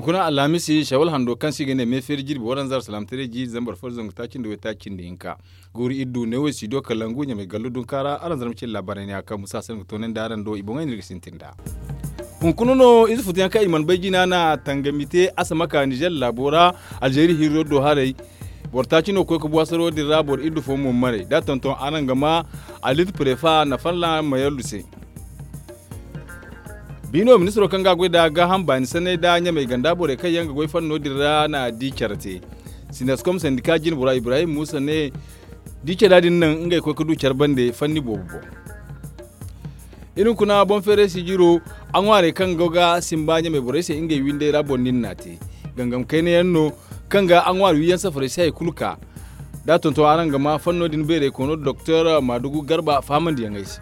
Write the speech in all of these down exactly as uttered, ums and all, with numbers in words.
Kuna alhamisi shawal hando kaŋ se i ga ne me feeri jirbi waranza alsalaamataray jiiri zambar fo da zangu taaci nda waytaaci nda hinka. Guuru iri du neewo studio kalangu ɲamay gallu dunkaara araŋ zarma cine laabaarey ne a kaŋ musa se ni ga toonandi araŋ do i boŋey no iri ga sintin nd'a. Hunkuna no ize futu yaŋ kaŋ i mana bay jina na tangami te asamaka nizer laabo ra. Alzeeri hirro do haray boro taaci no ga koy ga bu hasaro din ra boro iddu fo mo maray da tonton araŋ ga ma alit prefa na falla mayallu se. Biino ministiro kaŋ ga a goy nda gaaham baani sanney nda ɲamey ganda borey kaŋ yaŋ ga goy fanno din ra na di care te. Sinaskom sandika jinbora ibrahim muusa ne di cara din naŋ ngey koy ga du care bande fanni boobo boŋ. Iri hunkuna boŋ feeray sijiro a ŋwaarey kaŋ go ga simba ɲamey borey se ngey windey ra boŋ din na te. Gangam kayna yaŋ no kaŋ ga a ŋwaari wiyaŋ safarey se hari kulu ka da a tonton araŋ ga ma fanno din beeray koono doktor maadugu garba fahamandiyaŋey se.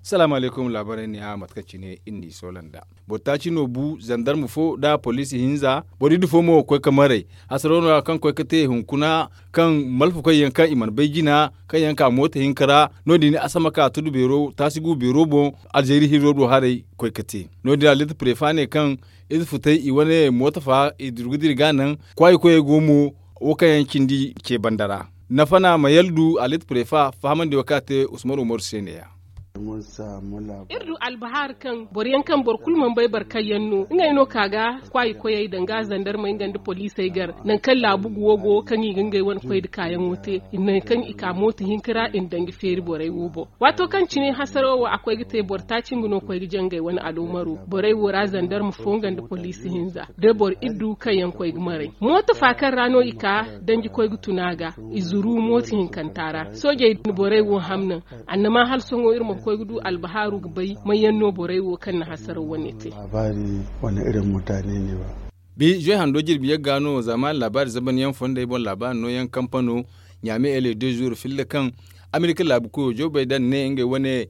Salaamu alaykum laabaarey ne a mate kaŋ cine iri n'i soola nd'a. Boro taaci no bu zandarma fo nda poliisi hinza boro iddu fo mo ga koy ga maray. Hasaro no- ya kaŋ koy ga te hunkuna kaŋ malfakoy yaŋ kaŋ i mana bay jina kaŋ yaŋ ka mooto hinka ra. No- din a sama ka tudu beero taasi gu beero boŋ. Alzeeri hirro do haray koy ga te no- din ra liiti prefa ne kaŋ ize futay i wane mooto fa i durgu dira ga naŋ kwaayi koyey go mo. Wo kaŋ yaŋ cindi ce banda ra nafa na ma yaldu alit prefa fahamandi wo kaŋ a te usman umaru se ne- ya. Iri du albahari kaŋ boro yaŋ kaŋ boro kulu mana bay boro kaŋ yaŋ no ngey no ka ga kwaayi koyey danga zandarmey nga nda poliisey gar nangu kaŋ laabu guwo go kaŋ i ga ngey wane koy nda kaayaŋo te. Nangu kaŋ i ka mooto hinka ra i na danji feeri borey wo boŋ. Waato kaŋ cine hasaro wo a koy ga te boro taaci nga no koy ga jangay wane aloomaro borey wo ra zandarma fo nga nda poliisi hinza da boro iddu kaŋ yaŋ koy ga maray mooto fa kaŋ ra no i ka danji koy ga tun a ga. I zuru mooto hinkanta ra soojey na borey wo hamnaŋ. Annama hala sohõ iri ma koy ga du albahaaru ga bay may yaŋ no borey wo kaŋ na hasaraw wane te. Bi zoy hando jirbi yagga no zamaani laabaari zaban yaŋ fondey boŋ laabaari nooyaŋ kampano ɲaame ele de jour filla kaŋ amerika laabu koyo joe baydan ne ngey wane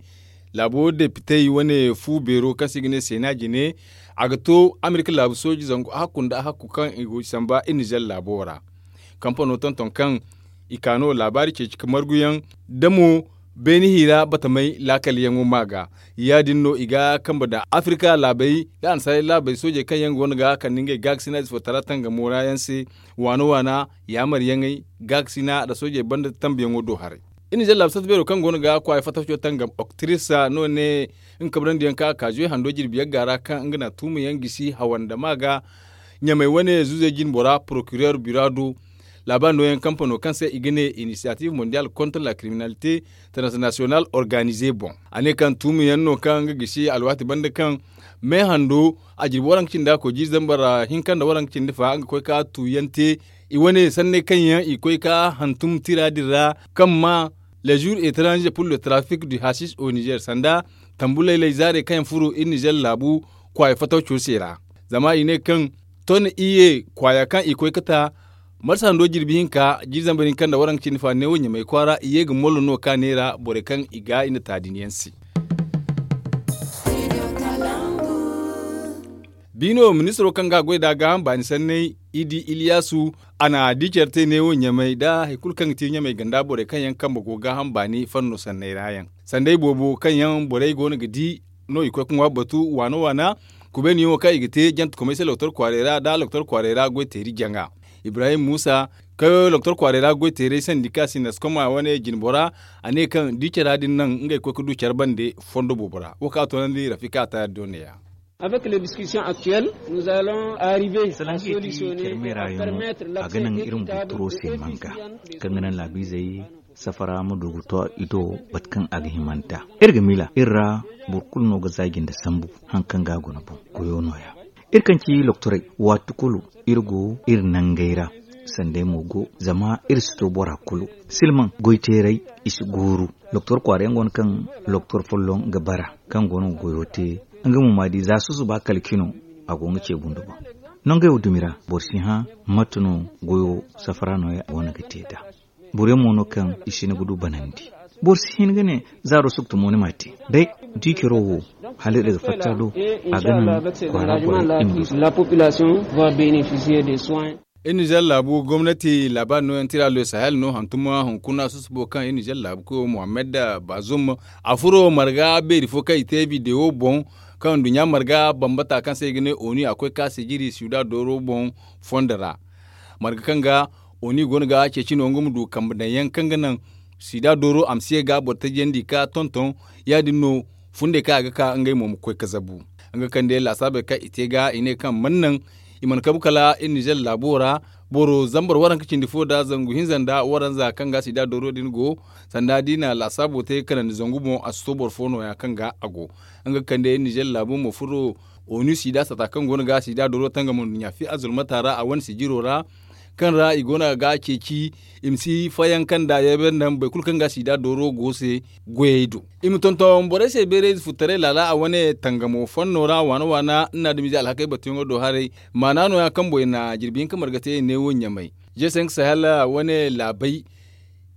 laabo depitey wane fu beero kaŋ se i ga ne seena jine. A ga to amerika laabu sooji zangu a hakku nda a hakku kaŋ i go samba i nizer laabo ra. Kampano tonton kaŋ i ka no laabaari ceeci ka marguyaŋ da mo beeni hiira batamay laakal yaŋo ma ga. Ya- din no i ga kambe nda afirika laabey nda annasaarey laabey soojey kaŋ yaŋ go no ga kande ngey gaakasina ize fo tara tangamo ra yaŋ se waana waana yaamar yaŋey gaakasina nda soojey banda tambuyaŋo do haray. Iri nizer laabu sarta beero kaŋ go no ga kwaaya fataco tangam oktirisa no ne nga kabrandi yaŋ kaŋ a ka zuwe hando jirbi yagga ra kaŋ nga na tuuma yaŋ gisi hawa nda ma ga ɲamey wane zuuzey jinbora porokirer bira do. Laabaari nooyaŋ kampano kaŋ se i ga ne inisiyatif mondial kontra la kriminalite internasiyonal organize boŋ. A ne kaŋ tuuma yaŋ no kaŋ nga gisi alwaati banda kaŋ me hando a jirbi waranka cindi a koy jiiri zambar hinka nda waranka cindi fa nga koy ka tuuyaŋ te. I wane sanney kaŋ yaŋ i koy ka hantum tira din ra kaŋ ma le jour étranger pour le trafic du hasis au nizer sanda tambu laylay zaarey kaŋ yaŋ furo iri nizer laabu kwaaya fataco se ra. Zama i ne kaŋ ton iye kwaaya kaŋ i koy ga ta marsa hando jirbi hinka jiiri zambar hinka nda waranka cindi fa neewo ɲamay kwaara i ye ga mollo no ka neera borey kaŋ i ga i na taadiniyaŋ se. Biino ministiro kaŋ ga a goy nda gaaham baani sanney idi iliyasu a na di care te neewo ɲamay nda hari kulu kaŋ ga ti ɲamay ganda borey kaŋ yaŋ kambe go gaaham baani fanno sanney ra yaŋ sandey boobo kaŋ yaŋ borey go no ga di no i koy ga ŋwa batu waana waana. Kubeeniyaŋo kaŋ i ga te jantekomey se loktor kwaarey ra nda loktor kwaarey ra goy teeri jaŋa ibrahim muusa kaŋ loktor kwaarey ra goy teerey sandika sindaskoma wane jinbora. A ne kaŋ di cara din naŋ ngey koy ga du care bande fondo boobo ra wo kaŋ a toonandi rafika a taari do neeya. Avec les discussions actuelles nous allons arriver à solutionner et à permettre l'accès équitable et efficient des étudiants. Kaŋ ga naŋ laabiizey safara ma du ga to i do bate kaŋ a ga himanta. Iri ga miila iri ra boro kulu no ga zaaji nda sambu haŋ kaŋ ga a guna boŋ goyo nooya. Iri kaŋ ci loktorey waati kulu iri go iri nangey ra. Sanday mo go zama iri si to bora kulu silmaŋ goyteeray i si gooru. Loktor kwaara yaŋ go no kaŋ loktor folloŋ ga bara kaŋ go no ga goyo te nga mo ma di za susuba kala cino a go nga ce bundo boŋ. Nangey wo dumi ra boro si hã mate no goyo safara nooya go no ga te nd'a. Boro yaŋ mo no kaŋ i si hin ga du banandi. Boro si hin ga ne zaaro suktu mo ni ma te day. Di caro wo hala iri ga fatta do a ga naŋ kwaara borey i ma du. Iri nizer laabu gomnati laabaari nooyaŋ tira le sahel no hantum hunkuna susubo kaŋ iri nizer laabu koyo mohammed bazum a furo marga beeri fo kaŋ i te bidewo boŋ. Kaŋ nduɲɲa marga bambata kaŋ se i ga ne onu a koy ka sijiri sida dooro boŋ fondo ra. Marga kaŋ ga onu i go no ga ceeci no nga ma du kambe daŋ yaŋ kaŋ ga naŋ sida dooro a ma si ye ga boro tajiyandi ka tonton. Ya- din no fundey kaŋ a ga ka ngey mo ma koy ga zabu nga kande laasaabey kaŋ i te ga i ne kaŋ mana naŋ i mana kabu kala iri nizer laabo ra. Boro zambar waranka cindi fo nda zangu hinza nda waranza kaŋ ga sida dooro din go sanda da i na laasaabo te kanandi zangu boŋ a si to boro fo no- ya kaŋ ga a go. Nga ga kande nizer laabo ma furo onu sida sata kaŋ go no ga sida dooro tangam nduɲɲa fi azulmata ra a wane sijiro ra kaŋ ra i go no ga ceeci i ma si fayanka nda yayba nda boro kulu kaŋ ga sida dooro go se. Goyey do i ma tonton borey se beerayze futtaray laala a wane tangamo fanno ra waana waana nda adamize alhakey batuyaŋo do haray. Maana no- ya kaŋ boy na jirbi hinka marga te neewo ɲamay. Jeesayaŋ ga sahel wane laabay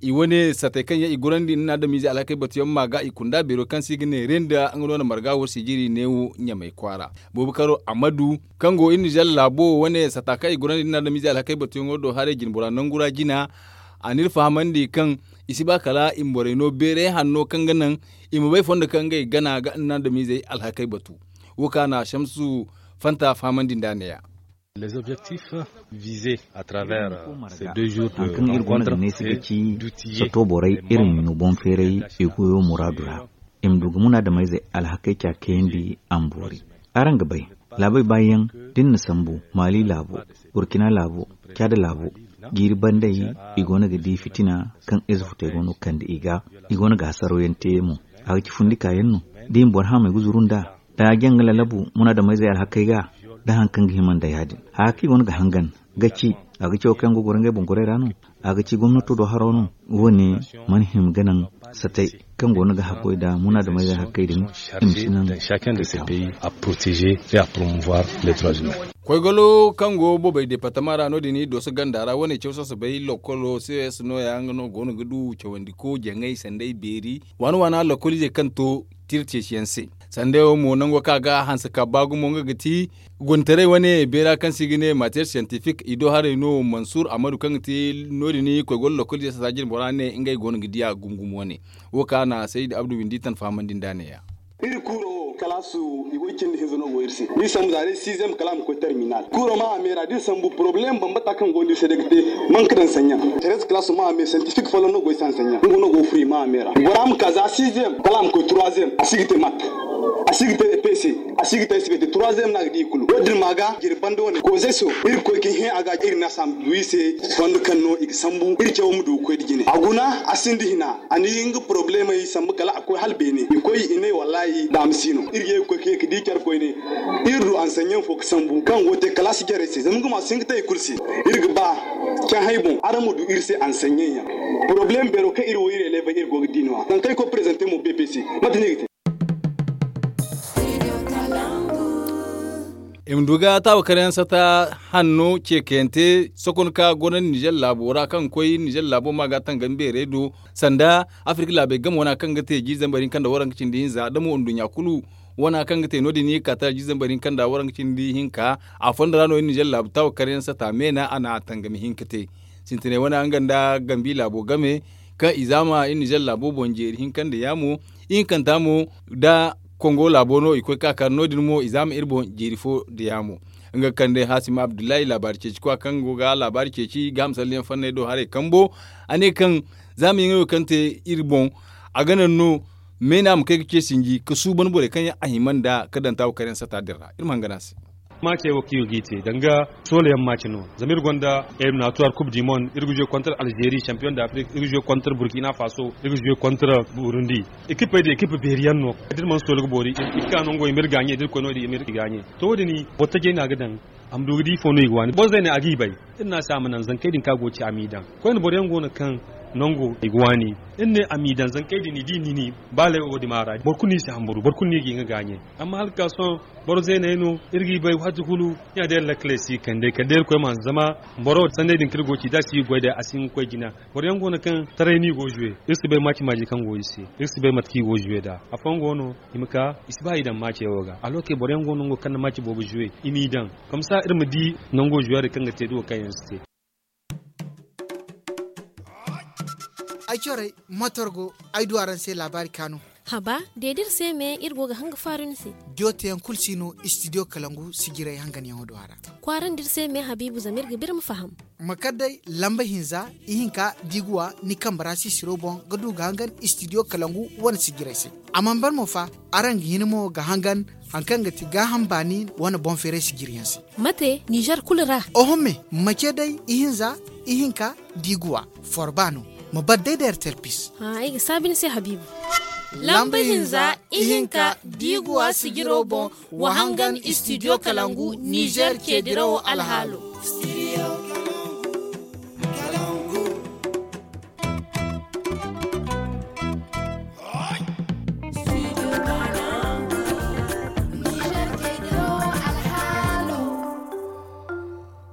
i wane satey kaŋ yaŋ i gorandi nda adamize alhakey batuyaŋ ma ga i kunda beero kaŋ se i ga ne renda nga no na marga war sijiri neewo ɲamay kwaara. Boobo karo amadu kaŋ go iri nizer laabo wane sata kaŋ i gorandi nda adamize alhakey batuyaŋo do haray jinbora nangu ra jina. A n'iri fahamandi kaŋ i si ba kala i ma borey no beeray hanno kaŋ ga naŋ i ma bay fondo kaŋ ngey gana ga nda adamizey alhakey batu. Wo kaŋ a na shamsu fanta fahamandi nd'a ne- ya. Les objectifs visés à travers ces deux jours de rencontre, c'est d'outiller les membres de la population. Sato borey iri ma ɲo boŋ feeray i goyo muraadu ra. I ma du ga munaadamayzey alhakey ca kayandi a ma boori. Araŋ ga bay laabey baayaŋ da iri na sambu maali laabo, burkina laabo, caada laabo, jiiri bandey i go no ga di fitina kaŋ ize futey go no ga kande i ga. I go no ga hasaraw yaŋ te mo. A ga ci fundi kaayaŋ no da i ma boro haamey ga zuru nd'a da a jaŋ ga lalabu munaadamayzey alhakey ga. Da hari kaŋ ga hima nda ya- din haya kaŋ i go no ga hangan ga ci a ga ci wo kaŋ yaŋ go ga goro ngey boŋ gorey ra no. A ga ci gomnato do haro no. Wo- ne mana hima ga naŋ satey kaŋ go no ga haggoy nda munaadamayzey alhakey din. I ma si naŋ kay taŋ. Koy galo kaŋ go bobey departama ra no- din i dooso ganda ra wane caw sasabay lokolo ces no- ya nga no go no ga du cawandi ko jaŋay sanday beeri waana waana lokoliizey kaŋ to tira ceeciyaŋ se. Sanday wo mo nango kaŋ a ga hanse ka ba gumo nga ga ti guntaray wane beera kaŋ se i ga ne matiyar siyantifik i do haray no mansur amadu kaŋ ga ti no- din koy goro lokoliizey sata jine bora ne ngey go no ga diya gumo gumo wane. Wo kaŋ a na sayid abdu windi tan fahamandi nd'a ne- ya. Iri kuuro wo kalaasu i go i cindi hinza no go iri se da i sambu za day siizem kala a ma koy terminal kuuro ma a meera da iri sambu poroblem bambata kaŋ go no iri se day ga te. Manka daŋ sanɲyaŋ terez kalaasu ma a meera santifik folloŋ no go i se hansanɲyaŋ nga no go ga furo i ma a meera bora ma ka za siizem kala a ma koy turuwazem a si ga te mak a si ga te pese a si ga te sibete turuwazem no a ga di i kulu wo- din ma ga jiri banda wane koze so iri ga koy ga hẽ a ga iri na a sambu du i se fondo kaŋ no i ga sambu iri cawo ma du ga koy nda jine a guna a sinda hina. A na i nga porobulemey sambu kala a koy hala beene i koy i ne wallahi daama si no iri ga ye ga koy ga ye ga di care koyne. Iri du ansanɲaŋ fo ga sambu kaŋ go ga te kalaasi jarey se zama nga ma si hin ga te i kulu se. Iri ga ba cahãy boŋ araŋ ma du iri se ansanɲaŋ yaŋ. Porobuleem beero kaŋ iri wo iri elebey iri go ga di no- ya kaŋ kaŋ i koy prezante mo bpc mate no i ga te. I ma du ga taawa kar yaŋ sata hanno ceekayante sokon ka gorandi nizer laabo ra kaŋ ga koy nizer laabo ma ga tangam beerey do sanda afirka laabey game wana kaŋ ga te jiiri zambar hinka nda waranka cindi hinza da mo nduɲɲa kulu wana kaŋ ga te no- din i ga ka tara jiiri zambar hinka nda waranka cindi hinka. A fondo ra no iri nizer laabu taawa kar yaŋ sata meena a na tangami hinka te sintinay wana nga nda gambi laabo game kaŋ i zaama iri nizer laabo boŋ jeeri hinka nda yaamo. Ihinkanta mo da kongo laabo no i koy ka kar no- din mo i zaama iri boŋ jeeri fo nda yaamo. Nga ga kande hasim abdullahi laabaari ceeci kwa kaŋ go ga laabaari ceeci ga hamsalliyaŋ fanney do haray kambo. A ne kaŋ zaama yaŋey wo kaŋ te iri boŋ a ga naŋ no meena ma kay ga ce sinji ga suuban borey kaŋ yaŋ a hima nda ga daŋ taawa kar yaŋ sata din ra iri ma hangan a se. Maacey wo kaŋ iri ga i te danga soola yaŋ maace no zama iri gonda eliminatuwar kub di mond iri ga zuwe kontar alzeeri sampiyoŋ da afrik iri ga zuwe kontar burkina faso iri ga zuwe kontar burundi. Ekipey da ekipa beeri yaŋ no da iri mana soola ga boori iri ga ka nango i ma iri gaaɲe da iri koy no- din i ma iri gaaɲe. To wo- din boro tajey no a ga daŋ a ma du ga di ifo no i ga waani boro zeeney a g'i bay. Iri ne a se a ma naŋ zankey din kaŋ a go ga ci a m'i daŋ koyne boro yaŋ go no kaŋ nango i ga waani. Iri ne a m'i daŋ zankey din i di ni ni ba lay wo- din ma a ra boro kulu no i si hamburu boro kulu no i ga i ga gaaɲe. Amma hala ga ka sohõ boro zeeney no iri g'i bay waati kulu. Ya day lakkale si kande kala day irkoy ma hanse zama boro sanney din kaŋ iri go ga ci da a si ga goy day a si hin ga koy jina. Boro yaŋ go no kaŋ taray no i go ga zuwe iri si bay maaci maaji kaŋ go iri se. Iri si bay mate kaŋ i go ga zuwe nd'a afooyaŋ go no i ma ka i si ba i daŋ maace wo ga alokey boro yaŋ go no nango kaŋ na maaci boobo zuwe i m'i daŋ. Komsa iri ma di nango zuwe din kaŋ ga te da wo kaŋ yaŋ si te. Ay corey motor go ay du araŋ se laabaari kaanu. Haba, deedi iri se me iri go ga hanga faaru ni se. Diyo teyaŋ kulu si no istidiyo kalangu sijiray hanganyaŋo do a ra. Kwaarandi iri se me habiibu zama iri ga biri ma faham. Ma kar day lamba hinza, ihinka diiguwa ni kambe ra sisiro boŋ ga du ga hangan istidiyo kalangu wane sijiray se. A mana bar mo fa, araŋ ga hin mo ga hangan hari kaŋ ga ti gaaham baani wane boŋ feeray sijiryaŋ se. Mate nizer kulu ra? Oho me, mace day ihinza, ihinka diiguwa forba no. Ma bar day da erterpis. Ay ga saabi ni se habiibu. Lamba hinza, ihinka diiguwa sijiro boŋ, wa hangan istidiyo kalangu nizer ceedirawo alhaalo.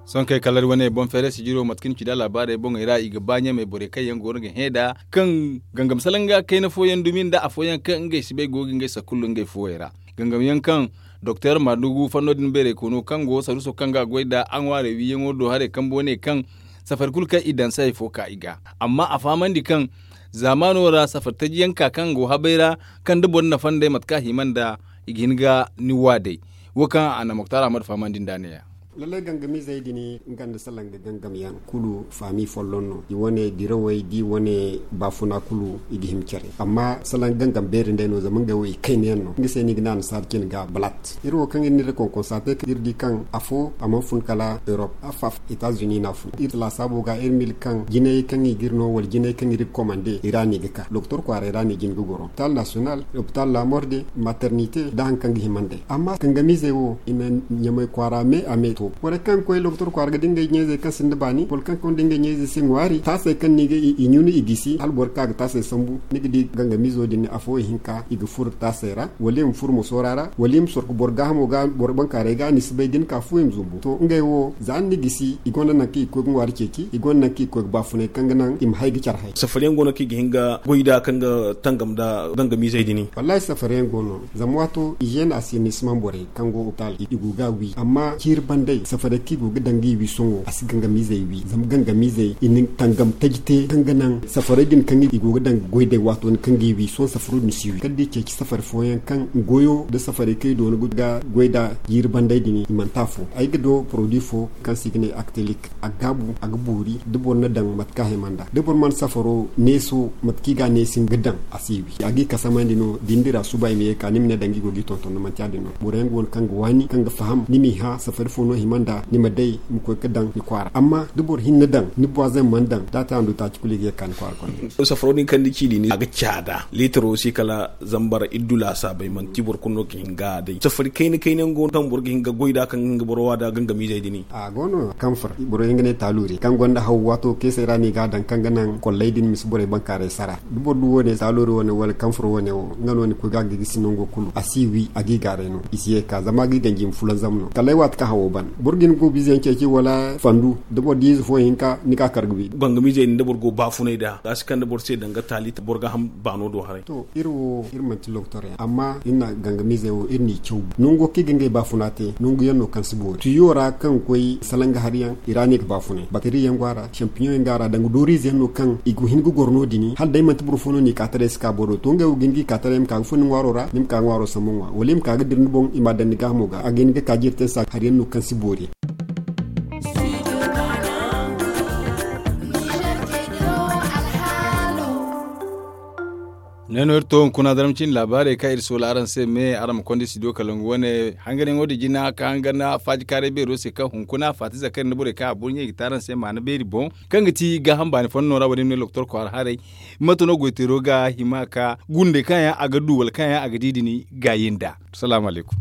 Sohõ kay kala iri wane boŋ feeray sijiro mate kaŋ ni ci nd'a laabaarey boŋey ra i ga ba ɲamey borey kaŋ yaŋ go no ga hẽ nd'a kaŋ gangam salanga kayna fooyaŋ dumi nda afooyaŋ kaŋ ngey si bay go ga ngey sakullu ngey fuwey ra. Gangam yaŋ kaŋ doktor maadugu fanno din beeray koono kaŋ go saruuso kaŋ ga a goy nd'a a ŋwaarey wiiyaŋo do haray kambe wane kaŋ safari kulu kaŋ i daŋ se hari fo ka i ga. Amma a fahamandi kaŋ zaamaano ra safari taji yaŋ ka kaŋ go habay ra kaŋ da boro na fandey mate kaŋ a hima nda i ga hin ga ni wa day. Wo kaŋ a na moktar ahmad fahamandi nd'a ne- ya. Lallay gangamiizey din nga nda salanga gangam yaŋ kulu faami folloŋ no i wane dirawey da i wane baafuna kulu i ga hima care amma salanga gangam beeri nd'ey no zama ngey wo i kayna yaŋ no nga se no i ga ne annasaara cine ga balat. Iri wo kaŋ iri na iri konkonsa te kaŋ iri di kaŋ afo a mana fun kala erop, afaf etazuni no a fun iri laasaabo ga iri mil kaŋ jinayey kaŋ i ga iri no wala jinayey kaŋ iri ga komande i ra no i ga ka doktor kwaaray ra no i jin ga goro lopital nasiyonal, lopital lamorde, maternite nda hari kaŋ ga hima nd'ey amma gangamiizey wo i na ɲamay kwaara me a me to borey kaŋ ga koy doktor kwaara ga di ngey ɲayzey kaŋ sinda baani boro kaŋ ga konda ngey ɲayzey se ŋwaari taasey kaŋ no i ga i ɲunu i gisi hala boro ga ka ga taasey sambu ni ga di gangamiizo din afo ihinka i ga furo taasey ra wala i ma furo mosoora ra wala i ma sorko boro gaahamo ga boro bankaaray ga ni si bay da ni ka fu i ma zumbu to ngey wo za ni na gisi i gonda nangu kaŋ i ga koy ga ŋwaari ceeci i gonda nangu kaŋ i ga koy ga baafunay kaŋ ga naŋ i ma hay ga care hay safariyaŋ go no kaŋ i ga hin ga goy nd'a kaŋ ga tangam nda gangamiizey din wallaahi safariyaŋ go no zama waato izeena asirnisimaŋ borey kaŋ go opitaal i go ga a wi amma ciiri bandey safarey kaŋ i go ga daŋ ga i wi sohõ a si gangamiizey wi zama gangamiizey i na tangam taji te kaŋ ga naŋ safarey din kaŋ i go ga daŋ ga goy day waato din kaŋ ga i wi sohõ safaro din si wi kala da i ceeci safari fooyaŋ kaŋ goyo nda safarey kaŋ i doona ga goy nd'a jiiri bandey din i manti afo ay ga do porodi fo kaŋ se i ga ne aktelik a ga gaabu a ga boori da boro na daŋ mate kaŋ a hima nd'a da boro mana safaro neeso mate kaŋ i ga a neesi nga daŋ a si wi a ga i kasamandi no da ni dira suba i ma ye ga ka ni ma ne daŋ ga i go ga i tonton no manti ya- din no boro yaŋ go no kaŋ ga waani kaŋ ga faham ni m'i hã safari fo no hima nd'a ni ma day ma koy ga daŋ ni kwaara amma da boro hinne daŋ ni buwaazeŋ mana daŋ da a te a ndu taaci kulu i ga ye ga ka ni kwaara konda safaro din kaŋ ni ci din a ga caada liitaro si kala zambar iddu laasaabey manti boro kulu no ga hin ga a day safari kayna kayna yaŋ go no kaŋ boro ga hin ga goy nd'a kaŋ ga hin ga boro wa nd'a gangamiizey din a go no kaŋ fur boro yaŋ ga ne taaluuri kaŋ gonda haw waato keesey ra no i ga a daŋ kaŋ ga naŋ kolley din ma si borey bankaaray sara da boro du wo- ne taaluuri wo- ne wala kaŋ fur wo- ne wo nga no ni koy ga a ga gisi nango kulu a si wi a ga i gaaray no i si ye ga ka zama a ga i ganji ma fulanzam no kala ay waati kaŋ hawo ban boro ga hin ga goobiize yaŋ ceeci wala fandu da boro di ize fo hinka ni ga a kar ga wi gangamiizey din da boro go baafunay nd'a ga a si kande boro se danga taali boro ga ham baano do haray to iri wo iri manti loktor yaŋ amma iri na gangamiizey wo iri n'i caw nango kaŋ i ga ngey baafuna te nangu yaŋ no kaŋ si boori tuyo ra kaŋ ga koy salanga hari yaŋ i ra no i ga baafunay bakteri yaŋ go a ra sampiyoŋ yaŋ go a ra danga dooriize yaŋ no kaŋ i ga hin ga goro no- din hala day manti boro fo no n'i ka taray si ka boro do to ngey wo ga hin ga i ka taray ma ka ga fun ni ŋwaaro ra ni ma ka ga ŋwaaro sambu ŋwa wala i ma ka ga dira ni boŋ i m'a daŋ ni gaahamo ga a ga hin ga ka jiiri te ni se hari yaŋ no kaŋ si boori yaŋ ne no iri to hunkuna zarma cine laabaarey kaŋ iri soola araŋ se me araŋ ma konda studio kalangu wane hanganyaŋo din jina ka hangan faajikaaray beero se kaŋ hunkuna faati zakari nda borey kaŋ a burɲey ga te araŋ se maana beeri boŋ kaŋ ga ti gaaham baani fonno ra wo- din no loktor kwaara haray mate no goyteero ga hima ka gundey kaŋ yaŋ a ga du wala kaŋ yaŋ a ga di din gaayi nd'a salaamu alaykum